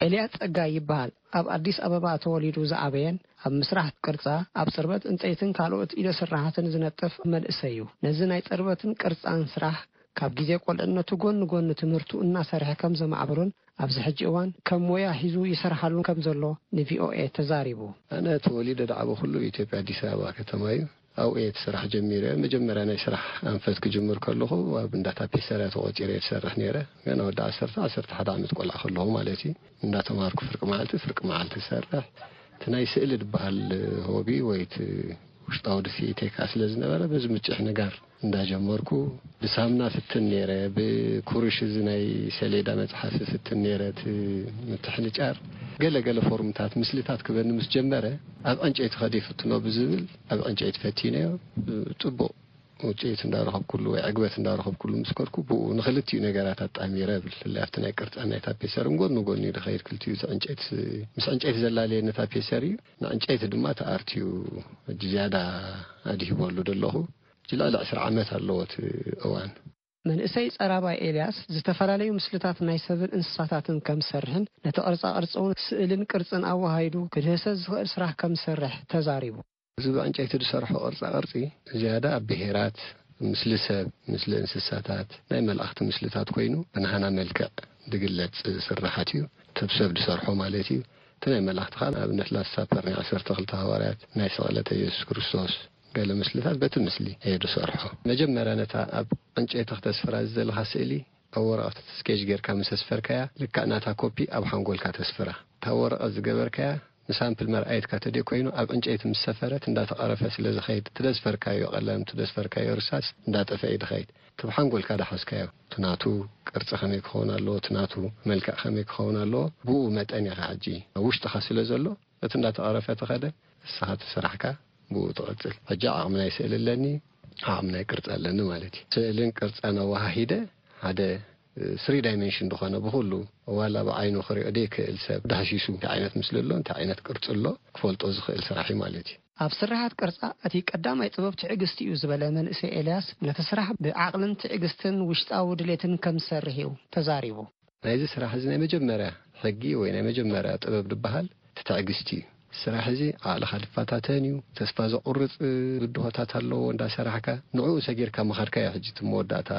ኤልያስ ጸጋይ ይበሃል። ኣብ ኣዲስ ኣበባ ተወሊዱ ዝዓበየን ኣብ ምስራሕ ቅርጻ፣ ኣብ ጽርበት ዕንጸይትን ካልኦት ኢደ ስራሓትን ዝነጥፍ መንእሰይ እዩ። ነዚ ናይ ጽርበትን ቅርጻን ስራሕ ካብ ግዜ ቆልዕነቱ ጎኒ ጎኒ ትምህርቱ እናሰርሐ ከም ዘማዕበሎን ኣብዚ ሕጂ እዋን ከም ሞያ ሒዙ ይሰርሓሉ ከም ዘሎ ን ቪ ኦ ኤ ተዛሪቡ። ኣነ ተወሊደ ዝዓበኹሉ ኢትዮጵያ ኣዲስ ኣበባ ከተማ እዩ። ኣብኡ እየ እቲ ስራሕ ጀሚረ። መጀመርያ ናይ ስራሕ ኣንፈት ክጅምር ከለኹ ኣብ እንዳ ታፔሰርያ ተቖጺረ እየ ዝሰርሕ ነይረ። ገና ወዲ ዓሰርተ፣ ዓሰርተ ሓደ ዓመት ቆልዓ ከለኹ ማለት እዩ። እንዳተማሃርኩ ፍርቂ መዓልቲ፣ ፍርቂ መዓልቲ ዝሰርሕ። እቲ ናይ ስእሊ ዝበሃል ሆቢ ወይ እቲ ውሽጣዊ ድፍኢተይ ከኣ ስለ ዝነበረ በዚ ምጭሕ ንጋር እንዳጀመርኩ ብሳምና ፍትን ነይረ፣ ብኩሩሽ እዚ ናይ ሰሌዳ መጽሓፊ ፍትን ነይረ፣ እቲ ምትሕንጫር ገለ ገለ ፎርምታት ምስልታት ክበኒ ምስ ጀመረ ኣብ ዕንጨይቲ ከደ ይፍትኖ ብዝብል ኣብ ዕንጨይቲ ፈቲነዮ። ጽቡቕ ውጽኢት እንዳረኸብኩሉ ወይ ዕግበት እንዳረኸብኩሉ ምስ ከድኩ ብኡ ንክልቲኡ ነገራት ኣጣሚረ እብል። ብፍላይ ኣብቲ ናይ ቅርጻን ናይ ታፔሰርን ጎኒ ጎኒ እዩ ዝኸይድ። ክልቲኡ እቲ ዕንጨይቲ ምስ ዕንጨይቲ ዘላለየኒ ታፔሰር እዩ፣ ንዕንጨይቲ ድማ እቲ ኣርት እዩ ሕጂ ዝያዳ ኣድሂበሉ ዘለኹ። ሕጂ ልዕሊ ዕስራ ዓመት ኣለዎ እቲ እዋን። መንእሰይ ጸራባይ ኤልያስ ዝተፈላለዩ ምስልታት ናይ ሰብን እንስሳታትን ከም ዝሰርሕን ነቲ ቅርጻ ቅርጺ እውን ስእልን ቅርጽን ኣወሃሂዱ ክድህሰስ ዝኽእል ስራሕ ከም ዝሰርሕ ተዛሪቡ። እዚ ብዕንጨይቲ ዝሰርሖ ቅርጻ ቅርጺ ዝያዳ ኣብ ብሄራት፣ ምስሊ ሰብ፣ ምስሊ እንስሳታት፣ ናይ መላእኽቲ ምስልታት ኮይኑ ብናህና መልክዕ ዝግለጽ ስርሓት እዩ። እቲ ብሰብ ዝሰርሖ ማለት እዩ። እቲ ናይ መላእኽቲ ከዓ ንኣብነት ላስት ሳፐር ናይ ዓሰርተ ክልተ ሃዋርያት፣ ናይ ስቕለት የሱስ ክርስቶስ ገለ ምስልታት በቲ ምስሊ እየ ዝሰርሖ። መጀመርያ ነታ ኣብ ዕንጨይቲ ክተስፍራ ዝደለኻ ስእሊ ኣብ ወረቐት ስኬች ጌርካ ምስ ኣስፈርካያ ልክዕ ናታ ኮፒ ኣብ ሓንጎልካ ተስፍራ። እታ ወረቐት ዝገበርካያ ንሳምፕል መርኣየትካ ተደይ ኮይኑ ኣብ ዕንጨይቲ ምስ ሰፈረት እንዳተቐረፈ ስለ ዝኸይድ እቲ ዘስፈርካዮ ቀለም፣ እቲ ዘስፈርካዮ ርሳስ እንዳጠፈ እዩ ዝኸይድ። እቲ ብሓንጎልካ ዝሓዝካዮ እቲ ናቱ ቅርጺ ከመይ ክኸውን ኣለዎ፣ እቲ ናቱ መልክዕ ከመይ ክኸውን ኣለዎ፣ ብኡ መጠን ኢኻ ሕጂ ኣብ ውሽጥኻ ስለ ዘሎ እቲ እንዳተቐረፈ ተኸደ ንስኻ እቲ ስራሕካ ብኡ ትቕጽል። ሕጂ ዓቕሚ ናይ ስእሊ ኣለኒ፣ ዓቕሚ ናይ ቅርጺ ኣለኒ ማለት እዩ። ስእልን ቅርጻን ኣወሃሂደ ሓደ ስሪ ዳይሜንሽን ዝኾነ ብኹሉ ዋላ ብዓይኑ ክሪኦ ዘይክእል ሰብ ዳህሲሱ እንታይ ዓይነት ምስሊ ኣሎ፣ እንታይ ዓይነት ቅርጺ ኣሎ ክፈልጦ ዝኽእል ስራሕ እዩ ማለት እዩ። ኣብ ስርሓት ቅርጻ እቲ ቀዳማይ ጥበብ ትዕግስቲ እዩ ዝበለ መንእሰይ ኤልያስ ነቲ ስራሕ ብዓቕልን ትዕግስትን ውሽጣዊ ድሌትን ከም ዝሰርሕ እዩ ተዛሪቡ። ናይዚ ስራሕ እዚ ናይ መጀመርያ ሕጊ ወይ ናይ መጀመርያ ጥበብ ዝበሃል እቲ ትዕግስቲ እዩ። ስራሕ እዚ ዓቕልኻ ዝፈታተን እዩ። ተስፋ ዘቑርጽ ብድሆታት ኣለዎ። እንዳሰራሕካ ንዕኡ ሰጊርካ ምኻድካ እዩ ሕጂ እቲ መወዳእታ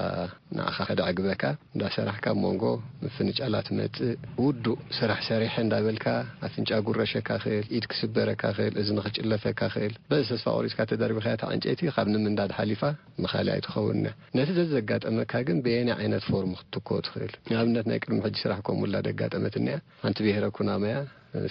ንዓኻ ከደዕግበካ። እንዳሰራሕካ ኣብ መንጎ ምፍንጫላት ትመጽእ። ውዱእ ስራሕ ሰሪሐ እንዳበልካ ኣፍንጫ ጉረሸካ ክእል፣ ኢድ ክስበረካ ክእል፣ እዝኒ ክጭለፈካ ክእል። በዚ ተስፋ ቆሪጽካ ተደርቢኻያ እታ ዕንጨይቲ ካብ ንምንዳድ ሓሊፋ ንኻልእ ኣይትኸውንና። ነቲ ዘዘጋጠመካ ግን በየናይ ዓይነት ፎርም ክትትክኦ ትኽእል? ንኣብነት ናይ ቅድሚ ሕጂ ስራሕ ከምኡ ላ ደጋጠመትኒ እያ። ሓንቲ ብሄረ ኩናማያ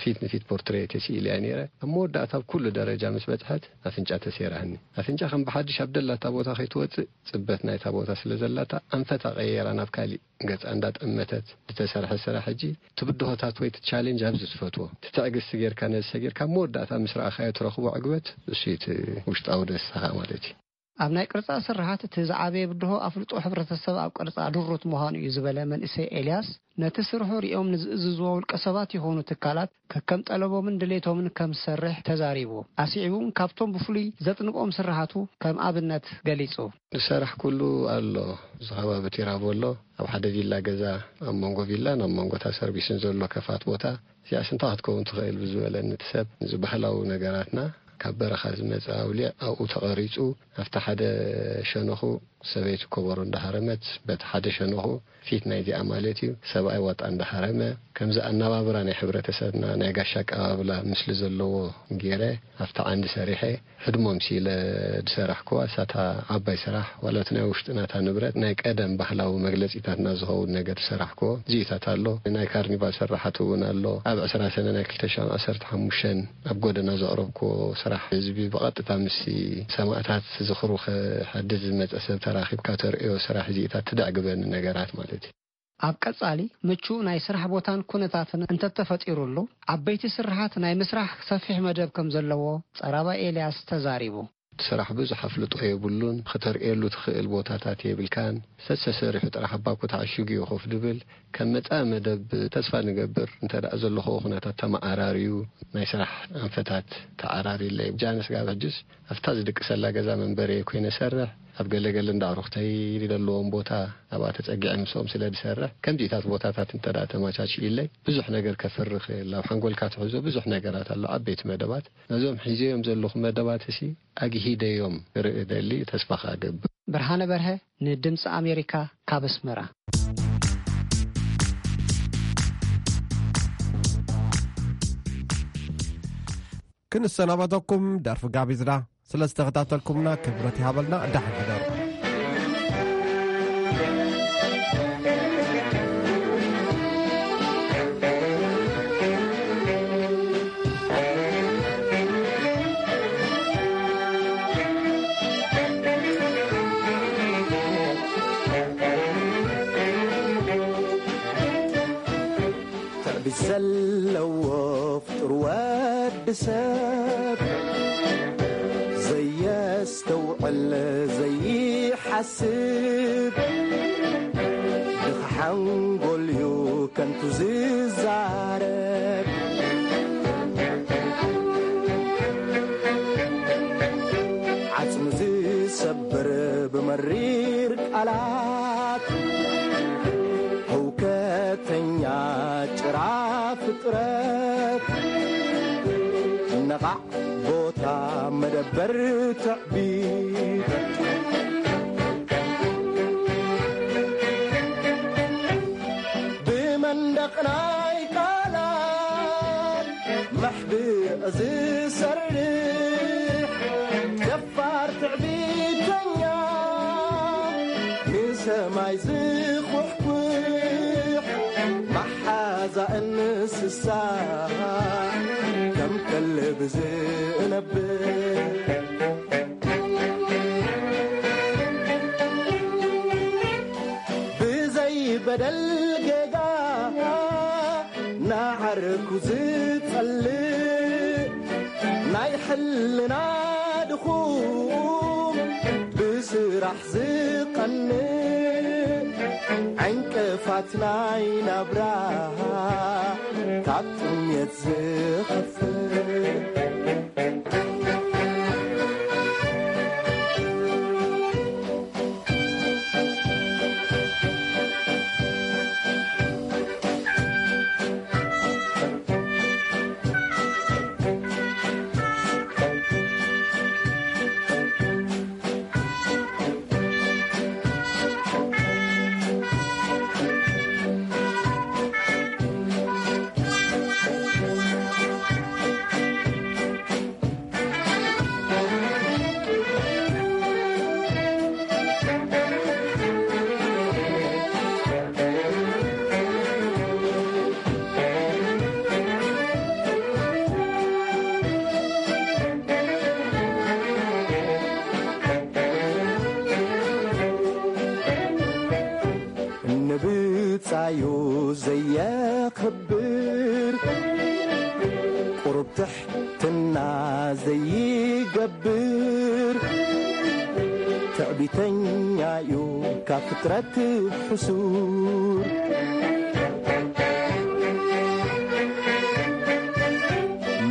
ፊት ንፊት ፖርትሬት ስኢለያ ነይረ። ኣብ መወዳእታ ኣብ ኩሉ ደረጃ ምስ በጽሐት ኣፍንጫ ተሴራህኒ። ኣፍንጫ ከም ብሓድሽ ኣብ ደላታ ቦታ ከይትወጽእ ጽበት ናይታ ቦታ ስለ ዘላታ ኣንፈታ ቀየራ ናብ ካሊእ ገጻ እንዳጠመተት ዝተሰርሐ ስራሕ ሕጂ ትብድሆታት ወይ ትቻሌንጅ ኣብዚ ትፈትዎ ትትዕግስቲ ጌርካ ነዚ ሰጊርካ ኣብ መወዳእታ ምስ ረኣኻዮ ትረኽቦ ዕግበት እሱ እዩ እቲ ውሽጣዊ ደስታኻ ማለት እዩ። ኣብ ናይ ቅርጻ ስርሓት እቲ ዝዓበየ ብድሆ ኣፍልጦ ሕብረተሰብ ኣብ ቅርጻ ድሩት ምዃኑ እዩ ዝበለ መንእሰይ ኤልያስ፣ ነቲ ስርሑ ሪኦም ንዝእዝዝዎ ውልቀ ሰባት ይኹኑ ትካላት ከከም ጠለቦምን ድሌቶምን ከም ዝሰርሕ ተዛሪቡ። ኣስዒቡ እውን ካብቶም ብፍሉይ ዘጥንቆም ስርሓቱ ከም ኣብነት ገሊጹ። ዝሰራሕ ኩሉ ኣሎ። እዚ ከባቢ ቲራቮ ኣሎ። ኣብ ሓደ ቪላ ገዛ ኣብ መንጎ ቪላን ኣብ መንጎ እታ ሰርቪስን ዘሎ ከፋት ቦታ እዚኣስ እንታይ ክትከውን ትኽእል ብዝበለኒ እቲ ሰብ፣ እዚ ባህላዊ ነገራትና ካብ በረኻ ዝመጸ ኣውሊዕ ኣብኡ ተቐሪጹ ኣብቲ ሓደ ሸነኹ ሰበይቲ ኮበሮ እንዳሃረመት በቲ ሓደ ሸነኹ ፊት ናይዚኣ ማለት እዩ ሰብኣይ ዋጣ እንዳሃረመ ከምዚ ኣነባብራ ናይ ሕብረተሰብና ናይ ጋሻ ኣቀባብላ ምስሊ ዘለዎ ገይረ ኣብቲ ዓንዲ ሰሪሐ ህድሞም ሲለ ዝሰራሕክዋ እሳታ ዓባይ ስራሕ ዋላ እቲ ናይ ውሽጥና እታ ንብረት ናይ ቀደም ባህላዊ መግለጺታትና ዝኸውን ነገር ዝሰራሕክዎ እዚኢታት ኣሎ። ናይ ካርኒቫል ስራሓት እውን ኣሎ። ኣብ ዕስራ ሰነ ናይ ክልተ ሽሕን ዓሰርተ ሓሙሽተን ኣብ ጎደና ዘቕረብክዎ ስራሕ ህዝቢ ብቐጥታ ምስ ሰማእታት ዝኽሩ ክሓድስ ዝመጸ ሰብ ተራኺብካ ተርእዮ ስራሕ እዚኢታት ትደዕግበኒ ነገራት ማለት እዩ። ኣብ ቀጻሊ ምቹእ ናይ ስራሕ ቦታን ኩነታትን እንተተፈጢሩሉ፣ ዓበይቲ ስርሓት ናይ ምስራሕ ሰፊሕ መደብ ከም ዘለዎ ጸራባይ ኤልያስ ተዛሪቡ። እቲ ስራሕ ብዙሕ ኣፍልጦ የብሉን፣ ክተርእየሉ ትኽእል ቦታታት የብልካን። ሰሰ ሰሪሑ ጥራሕ ኣብ ባኮ ተዓሺጉ እዩ ኮፍ ድብል። ከም መጻኢ መደብ ተስፋ ንገብር፣ እንተ ደኣ ዘለኹዎ ኩነታት ተመዓራርዩ፣ ናይ ስራሕ ኣንፈታት ተዓራርዩለይ። ጃንስ ጋብ ሕጅስ ኣብታ ዝድቅሰላ ገዛ መንበሪ ኮይነ ሰርሕ፣ ኣብ ገለገለ እንዳ ኣዕሩኽተይ ዘለዎም ቦታ ኣብኣ ተጸጊዐ ምስኦም ስለ ዝሰርሕ፣ ከምዚታት ቦታታት እንተ ደኣ ተመቻችዩለይ፣ ብዙሕ ነገር ከፍሪ ክእል። ኣብ ሓንጎልካ ትሕዞ ብዙሕ ነገራት ኣሎ፣ ዓበይቲ መደባት። ነዞም ሒዘዮም ዘለኹ መደባት እሲ ኣግሂደዮም ክርኢ እደሊ፣ ተስፋ ከኣ እገብር። ብርሃነ በርሀ ንድምፂ ኣሜሪካ ካብ ኣስመራ። ክንሰናበተኩም ደርፊ ጋቢዝና። ስለ ዝተኸታተልኩምና ክብረት ይሃበልና። ደሓን ሕደሩ። ትዕቢት ዘለዎ ፍጡር ወዲ ሰብ፣ ዘየስተውዕል ዘይሓስብ፣ ድኻ ሓንጎልዩ ከንቱ ዝዛረብ፣ ዓጽሚ ዝሰብር ብመሪር ቃላት፣ ህውከተኛ ጭራ ፍጥረት፣ ነቓዕ ቦታ መደበር ትዕቢት፣ ብመንደቕ ናይ ቃላት መሕብእ ዝሰርሕ፣ ደፋር ትዕቢተኛ፣ ንሰማይ ዝኹሕኩሕ፣ መሓዛ እንስሳ፣ ከም ከልቢ ዝነብር፣ ብዘይ በደል ጌጋ፣ ንዓርኩ ዝጸልእ፣ ናይ ሕልና ድኹም፣ ብስራሕ ዝቐንእ፣ ዕንቅፋት ናይ ናብራ፣ ካብ ጥሜት ዝኸፍእ። ንብጻዩ ዘየኽብር፣ ቁሩብ ትሕትና ዘይገብር፣ ትዕቢተኛዩ ካብ ፍጥረት ሕሱር፣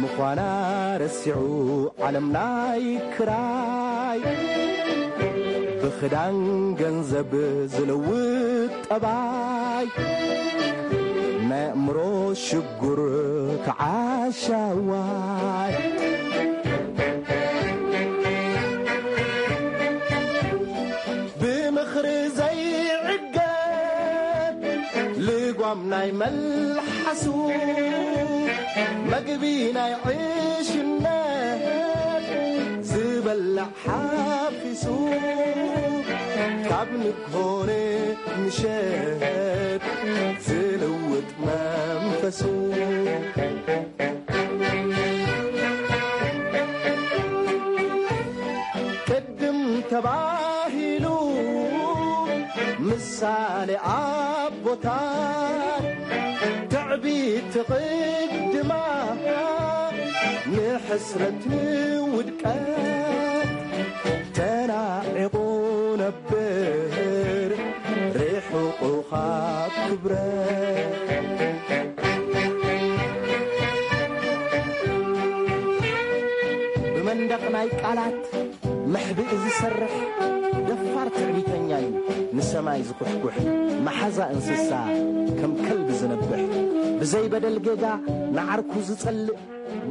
ምዃና ረሲዑ ዓለም ናይ ክራይ፣ ብኽዳን ገንዘብ ዝልውጥ ጠባይ፣ ናይ ኣእምሮ ሽጉር ተዓሻዋይ፣ ብምኽሪ ዘይዕገት ልጓም ናይ መልሓሱ፣ መግቢ ናይ ዕሽነት ዝበልዕ ሓፊሱ፣ ካብ ንግሆ ንምሸት ዝልውጥ መንፈሱ፣ ቅድም ተባሂሉ ምሳ ኣለ ኣቦታት ትዕቢት ትቕድማ ንሕስረት ንውድቀት ተናዒቑ ነብር ርሑቑ ካብ ክብረት። ብመንደቕ ናይ ቃላት መሕብኢ ዝሰርሕ ደፋር ትዕቢተኛ እዩ። ንሰማይ ዝኹሕኩሕ መሓዛ እንስሳ ከም ከልቢ ዝነብሕ ብዘይ በደል ጌጋ ንዓርኩ ዝጸልእ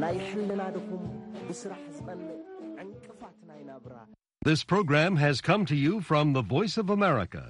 ናይ ሕልና ድኹም ብስራሕ ዝቐንእ ዕንቅፋት ናይ ናብራ። This program has come to you from the Voice of America,